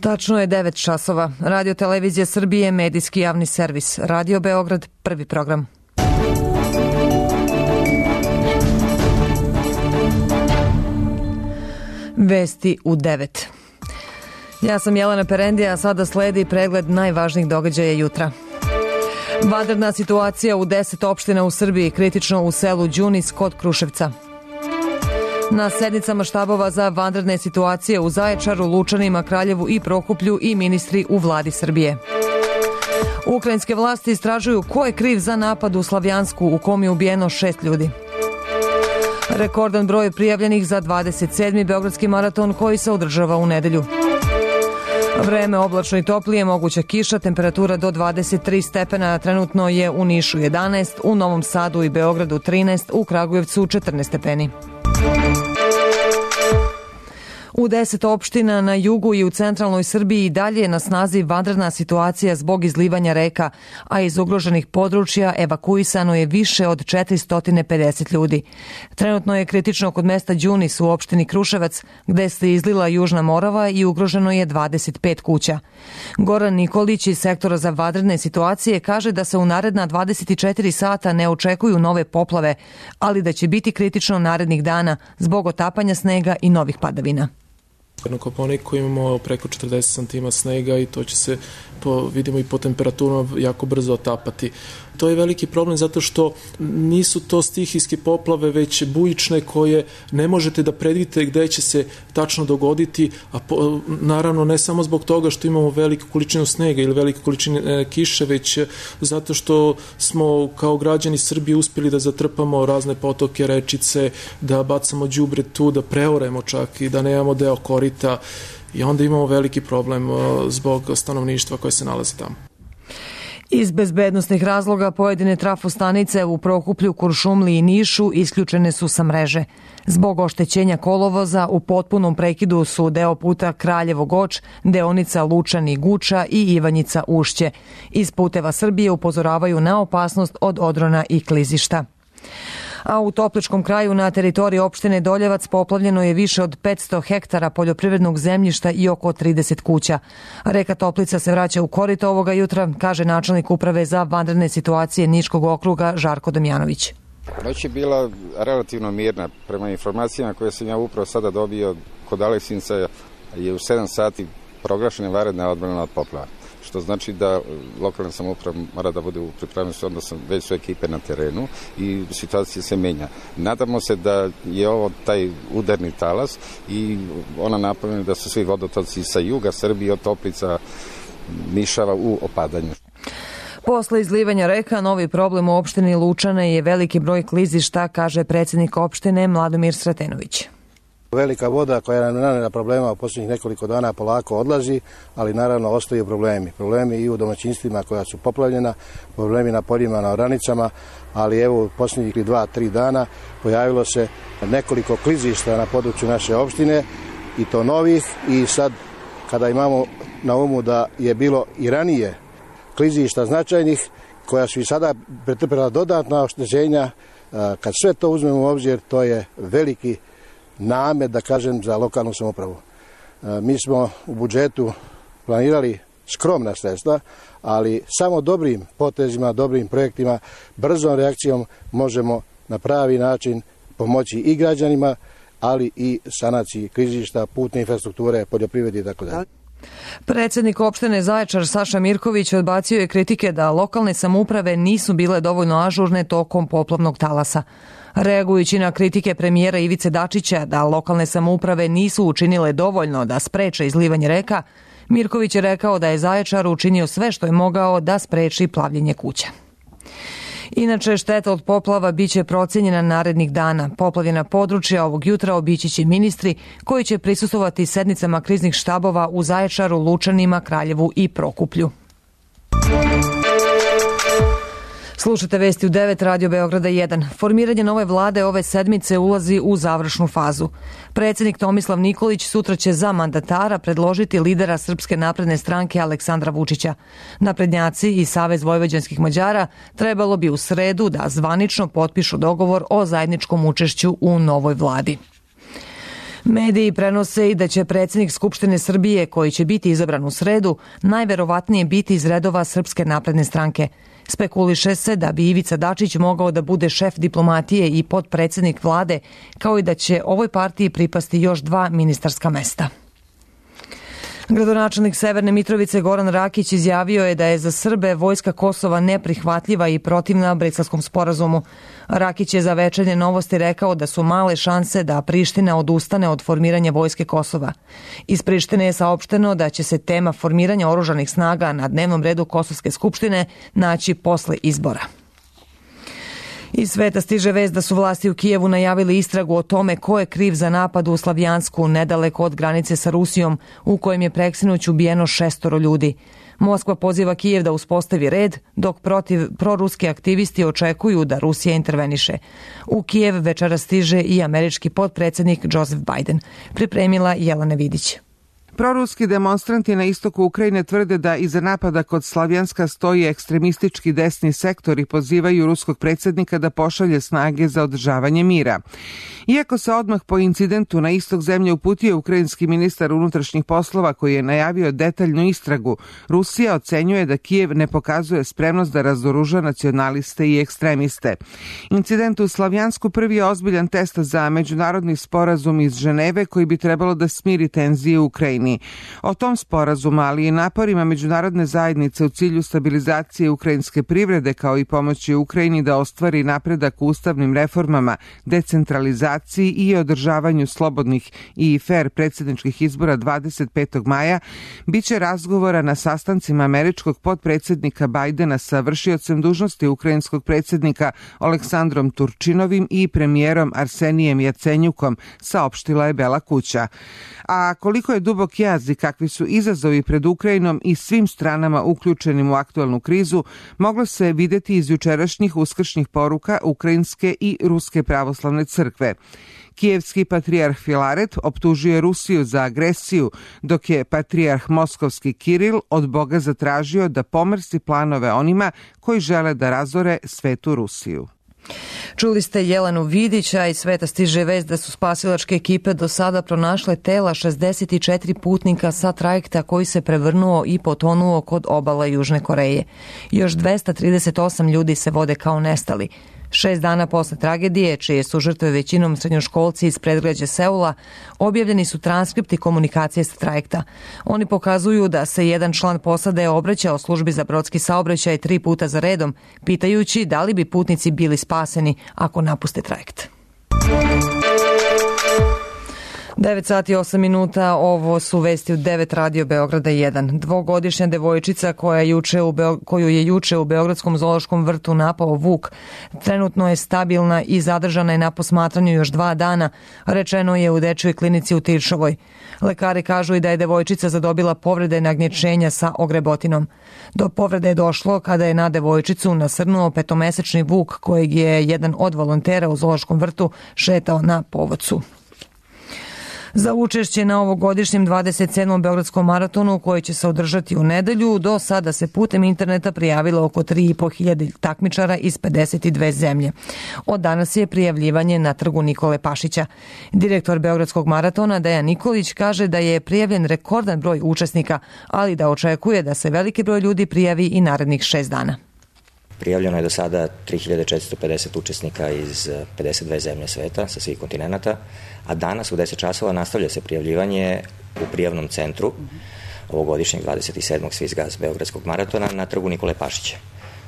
Tačno je 9 časova. Radio Televizija Srbije, medijski javni servis. Radio Beograd, prvi program. Vesti u 9. Ja sam Jelena Perendija, a sada sledi pregled najvažnijih događaja jutra. Vanredna situacija u 10 opština u Srbiji, kritično u selu Đunis kod Kruševca. Na sednicama štabova za vanredne situacije u Zaječaru, Lučanima, Kraljevu i Prokuplju i ministri u vladi Srbije. Ukrajinske vlasti istražuju ko je kriv za napad u Slavjansku u kom je ubijeno 6 ljudi. Rekordan broj prijavljenih za 27. Beogradski maraton koji se održava u nedelju. Vreme oblačno i toplije, moguća kiša, temperatura do 23 stepena, trenutno je u Nišu 11, u Novom Sadu i Beogradu 13, u Kragujevcu 14 stepeni. U 10 opština na jugu i u centralnoj Srbiji dalje je na snazi vanredna situacija zbog izlivanja reka, a iz ugroženih područja evakuisano je više od 450 ljudi. Trenutno je kritično kod mesta Đunis u opštini Kruševac, gde se izlila Južna Morava i ugroženo je 25 kuća. Goran Nikolić iz sektora za vanredne situacije kaže da se u naredna 24 sata ne očekuju nove poplave, ali da će biti kritično narednih dana zbog otapanja snega i novih padavina. Na Kopaoniku imamo preko 40 cm snega i to će se, vidimo i po temperaturama, jako brzo otapati. To je veliki problem zato što nisu to stihijske poplave, već bujične koje ne možete da predvidite gde će se tačno dogoditi, a naravno ne samo zbog toga što imamo veliku količinu snega ili velike količine kiše, već zato što smo kao građani Srbije uspjeli da zatrpamo razne potoke, rečice, da bacamo đubre tu, da preoremo čak i da nemamo deo korita i onda imamo veliki problem zbog stanovništva koje se nalazi tamo. Iz bezbednosnih razloga pojedine trafostanice u Prokuplju, Kuršumliji i Nišu isključene su sa mreže. Zbog oštećenja kolovoza u potpunom prekidu su deo puta Kraljevo-Goč, deonica Lučani-Guča i Ivanjica-Ušće. Iz Puteva Srbije upozoravaju na opasnost od odrona i klizišta. A u Topličkom kraju na teritoriji opštine Doljevac poplavljeno je više od 500 hektara poljoprivrednog zemljišta i oko 30 kuća. Reka Toplica se vraća u korito ovoga jutra, kaže načelnik uprave za vanredne situacije Niškog okruga Žarko Damjanović. Noć je bila relativno mirna. Prema informacijama koje sam ja upravo sada dobio kod Aleksinca je u 7 sati proglašena vanredna odbrana od poplava. Što znači da lokalna samouprava mora da bude u pripremnosti, odnosno već su ekipe na terenu i situacija se menja. Nadamo se da je ovo taj udarni talas i ona napomene da su svi vodotoci sa juga Srbije od Toplica, Nišava u opadanju. Posle izlivanja reka, novi problem u opštini Lučane je veliki broj klizišta, kaže predsjednik opštine Mladomir Sretenović. Velika voda koja nam nanela problema u posljednjih nekoliko dana polako odlazi, ali naravno ostaju problemi. Problemi i u domaćinstvima koja su poplavljena, problemi na poljima, na oranicama, ali evo u posljednjih 2-3 dana pojavilo se nekoliko klizišta na području naše opštine i to novih i sad kada imamo na umu da je bilo i ranije klizišta značajnih koja su i sada pretrpela dodatna oštećenja, kad sve to uzmemo u obzir to je veliki namet, da kažem, za lokalnu samoupravu. Mi smo u budžetu planirali skromna sredstva, ali samo dobrim potezima, dobrim projektima, brzom reakcijom možemo na pravi način pomoći i građanima, ali i sanaciji klizišta, putne infrastrukture, poljoprivredi i tako dalje. Predsjednik opštine Zaječar Saša Mirković odbacio je kritike da lokalne samouprave nisu bile dovoljno ažurne tokom poplavnog talasa. Reagujući na kritike premijera Ivice Dačića da lokalne samouprave nisu učinile dovoljno da spreče izlivanje reka, Mirković je rekao da je Zaječar učinio sve što je mogao da spreči plavljenje kuća. Inače, šteta od poplava biće procenjena narednih dana. Poplavljena područja ovog jutra obići će ministri koji će prisustvovati sednicama kriznih štabova u Zaječaru, Lučanima, Kraljevu i Prokuplju. Slušate vesti u 9, Radio Beograda 1. Formiranje nove vlade ove sedmice ulazi u završnu fazu. Predsjednik Tomislav Nikolić sutra će za mandatara predložiti lidera Srpske napredne stranke Aleksandra Vučića. Naprednjaci i Savez vojvođanskih Mađara trebalo bi u sredu da zvanično potpišu dogovor o zajedničkom učešću u novoj vladi. Mediji prenose i da će predsjednik Skupštine Srbije, koji će biti izabran u sredu, najverovatnije biti iz redova Srpske napredne stranke. Spekuliše se da bi Ivica Dačić mogao da bude šef diplomatije i potpredsjednik vlade, kao i da će ovoj partiji pripasti još 2 ministarska mesta. Gradonačelnik Severne Mitrovice Goran Rakić izjavio je da je za Srbe vojska Kosova neprihvatljiva i protivna Briselskom sporazumu. Rakić je za Večernje novosti rekao da su male šanse da Priština odustane od formiranja vojske Kosova. Iz Prištine je saopšteno da će se tema formiranja oružanih snaga na dnevnom redu Kosovske skupštine naći posle izbora. Iz sveta stiže vest da su vlasti u Kijevu najavili istragu o tome ko je kriv za napad u Slavjansku, nedaleko od granice sa Rusijom, u kojem je preksinoć ubijeno 6 ljudi. Moskva poziva Kijev da uspostavi red, dok proruski aktivisti očekuju da Rusija interveniše. U Kijev večeras stiže i američki potpredsjednik Joseph Biden. Pripremila Jelena Vidić. Proruski demonstranti na istoku Ukrajine tvrde da iza napada kod Slavjanska stoji ekstremistički desni sektor i pozivaju ruskog predsjednika da pošalje snage za održavanje mira. Iako se odmah po incidentu na istok zemlje uputio ukrajinski ministar unutrašnjih poslova koji je najavio detaljnu istragu, Rusija ocenjuje da Kijev ne pokazuje spremnost da razoruža nacionaliste i ekstremiste. Incident u Slavjansku prvi je ozbiljan test za međunarodni sporazum iz Ženeve koji bi trebalo da smiri tenzije u Ukrajini. O tom sporazumu, ali i naporima međunarodne zajednice u cilju stabilizacije ukrajinske privrede kao i pomoći Ukrajini da ostvari napredak u ustavnim reformama, decentralizaciji i održavanju slobodnih i fer predsjedničkih izbora 25. maja, biće razgovora na sastancima američkog potpredsjednika Bajdena sa vršiocem dužnosti ukrajinskog predsjednika Aleksandrom Turčinovim i premijerom Arsenijem Jacenjukom, saopštila je Bela kuća. A koliko je dubok jaz i kakvi su izazovi pred Ukrajinom i svim stranama uključenim u aktualnu krizu, moglo se vidjeti iz jučerašnjih uskršnjih poruka Ukrajinske i Ruske pravoslavne crkve. Kijevski patrijarh Filaret optužio je Rusiju za agresiju, dok je patrijarh moskovski Kiril od Boga zatražio da pomrsi planove onima koji žele da razore svetu Rusiju. Čuli ste Jelenu Vidića. Iz sveta stiže vest da su spasilačke ekipe do sada pronašle tela 64 putnika sa trajekta koji se prevrnuo i potonuo kod obala Južne Koreje. Još 238 ljudi se vode kao nestali. 6 dana posle tragedije, čije su žrtve većinom srednjoškolci iz predgrađa Seula, objavljeni su transkripti komunikacije sa trajekta. Oni pokazuju da se jedan član posade obraćao službi za brodski saobraćaj 3 puta za redom, pitajući da li bi putnici bili spaseni ako napuste trajekt. 9 sati 8 minuta, ovo su vesti u 9 Radio Beograda 1. Dvogodišnja devojčica koju je juče u Beogradskom zoološkom vrtu napao vuk, trenutno je stabilna i zadržana je na posmatranju još 2 dana, rečeno je u dečjoj klinici u Tiršovoj. Lekari kažu i da je devojčica zadobila povrede nagnječenja sa ogrebotinom. Do povrede je došlo kada je na devojčicu nasrnuo 5-mesečni vuk kojeg je jedan od volontera u zoološkom vrtu šetao na povodcu. Za učešće na ovogodišnjem 27. Beogradskom maratonu koji će se održati u nedelju, do sada se putem interneta prijavilo oko 3.500 takmičara iz 52 zemlje. Od danas je prijavljivanje na trgu Nikole Pašića. Direktor Beogradskog maratona Dejan Nikolić kaže da je prijavljen rekordan broj učesnika, ali da očekuje da se veliki broj ljudi prijavi i narednih 6 dana. Prijavljeno je do sada 3450 učesnika iz 52 zemlje sveta sa svih kontinenata, a danas u 10 časova nastavlja se prijavljivanje u prijavnom centru ovogodišnjeg 27. Swiss Gas Beogradskog maratona na trgu Nikole Pašića.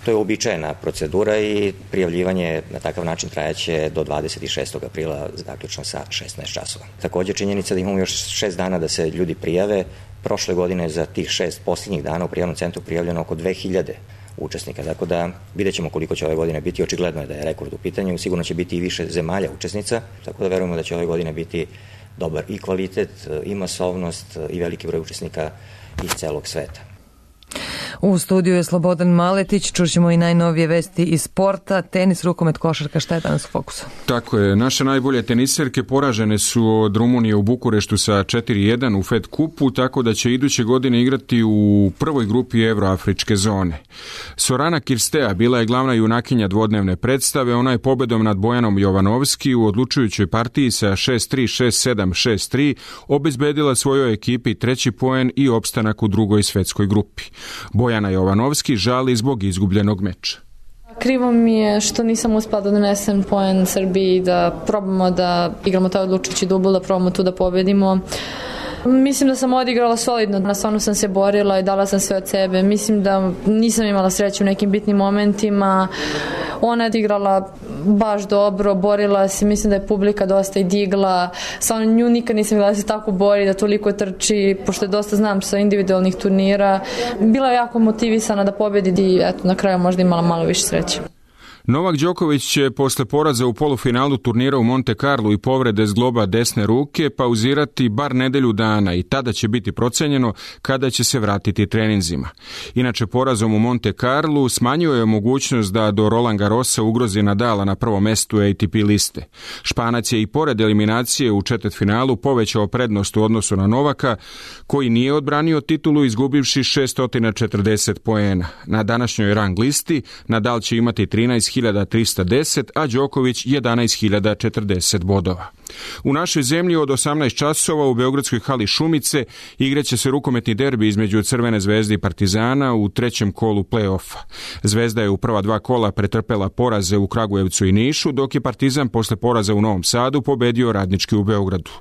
To je uobičajena procedura i prijavljivanje na takav način trajaće do 26. aprila, zaključno sa 16 časova. Također činjenica da imamo još 6 dana da se ljudi prijave. Prošle godine za tih 6 posljednjih dana u prijavnom centru prijavljeno oko 2000 učesnika, tako da vidjet ćemo koliko će ove godine biti. Očigledno je da je rekord u pitanju, sigurno će biti i više zemalja učesnica, tako da verujemo da će ove godine biti dobar i kvalitet, i masovnost, i veliki broj učesnika iz celog sveta. U studiju je Slobodan Maletić, čućemo i najnovije vesti iz sporta, tenis, rukomet, košarka, šta je danas u fokusu? Tako je, naše najbolje teniserke poražene su od Rumunije u Bukureštu sa 4-1 u Fed kupu, tako da će iduće godine igrati u prvoj grupi Evroafričke zone. Sorana Kirstea bila je glavna junakinja dvodnevne predstave, ona je pobedom nad Bojanom Jovanovski u odlučujućoj partiji sa 6-3, 6-7, 6-3 obezbedila svojoj ekipi treći poen i opstanak u drugoj svetskoj grupi. Bojana Jovanovski žali zbog izgubljenog meča. Krivo mi je što nisam uspela da donesem poen Srbiji, da probamo da igramo taj odlučujući dubl, da probamo tu da pobedimo. Mislim da sam odigrala solidno, stvarno sam se borila i dala sam sve od sebe. Mislim da nisam imala sreću u nekim bitnim momentima. Ona je igrala baš dobro, borila se, mislim da je publika dosta i digla. Stvarno nju nikad nisam videla da se tako bori, da toliko trči, pošto je dosta znam sa individualnih turnira. Bila je jako motivisana da pobedi i eto, na kraju možda imala malo više sreće. Novak Đoković će posle poraza u polufinalu turnira u Monte Carlo i povrede zgloba desne ruke pauzirati bar nedelju dana i tada će biti procenjeno kada će se vratiti treninzima. Inače, porazom u Monte Carlo smanjio je mogućnost da do Roland Garrosa ugrozi Nadala na prvom mestu ATP liste. Španac je i pored eliminacije u četvrtfinalu povećao prednost u odnosu na Novaka, koji nije odbranio titulu izgubivši 640 poena. Na današnjoj rang listi Nadal će imati 13.310, a Đoković 11.040 bodova. U našoj zemlji od 18 časova u beogradskoj hali Šumice igraće se rukometni derbi između Crvene zvezde i Partizana u trećem kolu play-offa. Zvezda je u prva dva kola pretrpela poraze u Kragujevcu i Nišu, dok je Partizan posle poraza u Novom Sadu pobedio Radnički u Beogradu.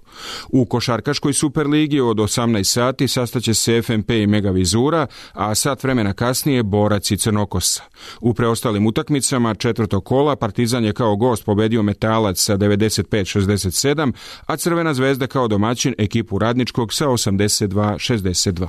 U košarkaškoj Superligi od 18 sati sastaće se FNP i Megavizura, a sat vremena kasnije Borac i Crnokosa. U preostalim utakmicama četvrtog kola Partizan je kao gost pobedio Metalac sa 95-67, a Crvena zvezda kao domaćin ekipu Radničkog sa 82-62.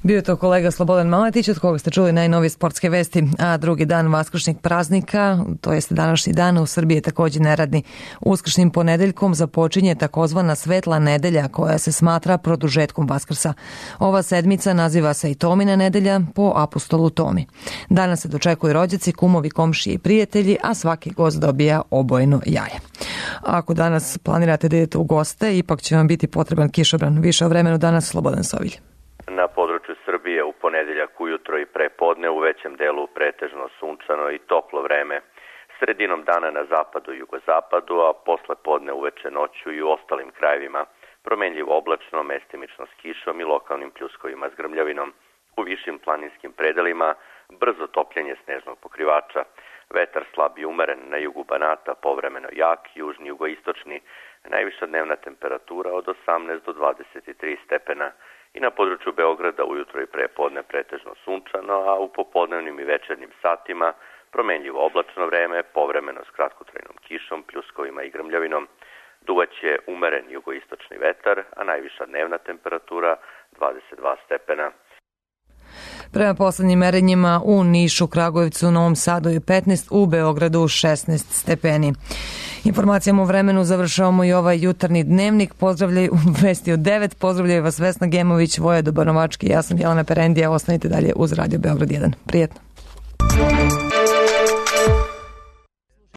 Bio je to kolega Slobodan Maletić, od koga ste čuli najnovije sportske vesti, a drugi dan vaskršnjeg praznika, to jeste današnji dan, u Srbiji je također neradni. Uskršnjim ponedeljkom započinje takozvana svetla nedelja koja se smatra produžetkom Vaskrsa. Ova sedmica naziva se i Tomina nedelja po apostolu Tomi. Danas se dočekuju rođaci, kumovi, komšije i prijatelji, a svaki gost dobija obojeno jaje. Ako danas planirate da idete u goste, ipak će vam biti potreban kišobran. Više o vremenu danas Slobodan Sovilj. Na području Srbije u ponedeljak ujutro i prepodne u većem delu pretežno sunčano i toplo vreme. Sredinom dana na zapadu i jugozapadu, a posle podne uveče noću i u ostalim krajevima promenljivo oblačno, mestimično s kišom i lokalnim pljuskovima s grmljavinom. U višim planinskim predelima brzo topljenje snežnog pokrivača. Vetar slab i umeren, na jugu Banata povremeno jak, južni jugoistočni, najviša dnevna temperatura od 18 do 23 stepena. I na području Beograda ujutro i prepodne pretežno sunčano, a u popodnevnim i večernjim satima promenljivo oblačno vreme, povremeno s kratkotrajnom kišom, pljuskovima i grmljavinom. Duvaće umeren jugoistočni vetar, a najviša dnevna temperatura 22 stepena. Prema poslednjim merenjima u Nišu, Kragujevcu, Novom Sadu je 15, u Beogradu 16 stepeni. Informacijama o vremenu završavamo i ovaj jutarnji dnevnik. Pozdravljaju vesti od 9. Pozdravljaju vas Vesna Gemović, Voja Dobanovački. Ja sam Jelena Perendija. Ostanite dalje uz Radio Beograd 1. Prijetno.